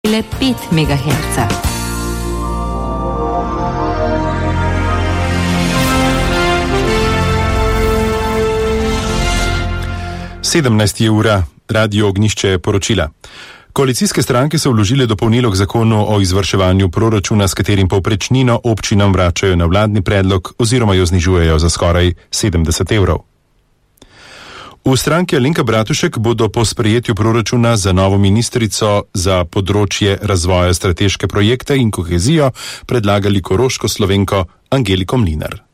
1,5 MHz. ura, Radio Ognjišče poročila. Koalicijske stranke so vložile dopolnilo k zakonu o izvrševanju proračuna, s katerim povprečnino občinam vračajo na vladni predlog oziroma jo znižujejo za skoraj 70 evrov. V stranki Alenka Bratušek bodo po sprejetju proračuna za novo ministrico za področje razvoja strateške projekte in kohezijo predlagali koroško Slovenko Angeliko Mlinar.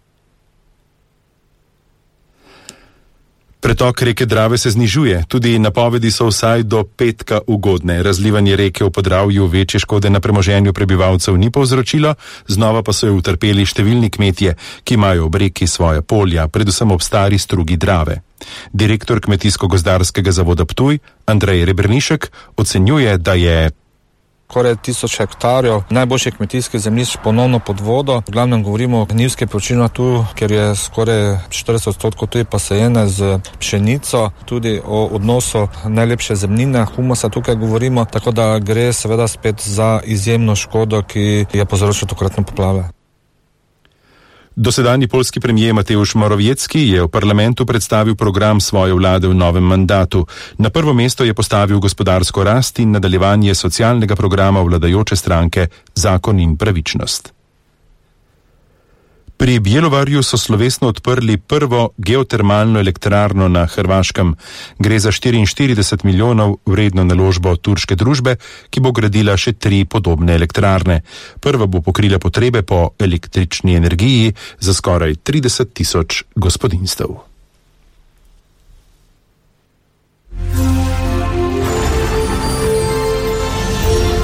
Pretok reke Drave se znižuje, tudi napovedi so vsaj do petka ugodne. Razlivanje reke v Podravju večje škode na premoženju prebivalcev ni povzročilo, znova pa so jo utrpeli številni kmetje, ki imajo ob reki svoje polja, predvsem ob stari strugi Drave. Direktor Kmetijsko-gozdarskega zavoda Ptuj, Andrej Rebernišek, ocenjuje, da je skoraj 1000 hektarjev najboljših kmetijskih zemljišč ponovno pod vodo. V glavnem govorimo o gnjivskih površinah tu, ker je skoraj 40% tudi posajene z pšenico, tudi o odnosu najlepše zemljine, humusa tukaj govorimo, tako da gre seveda spet za izjemno škodo, ki je povzročila tokratne poplave. Dosedanji poljski premijer Mateusz Morawiecki je v parlamentu predstavil program svoje vlade v novem mandatu. Na prvo mesto je postavil gospodarsko rast in nadaljevanje socialnega programa vladajoče stranke Zakon in pravičnost. Pri Bjelovarju so slovesno odprli prvo geotermalno elektrarno na Hrvaškem. Gre za 44 milijonov vredno naložbo turške družbe, ki bo gradila še 3 podobne elektrarne. Prva bo pokrila potrebe po električni energiji za skoraj 30 000 gospodinjstev.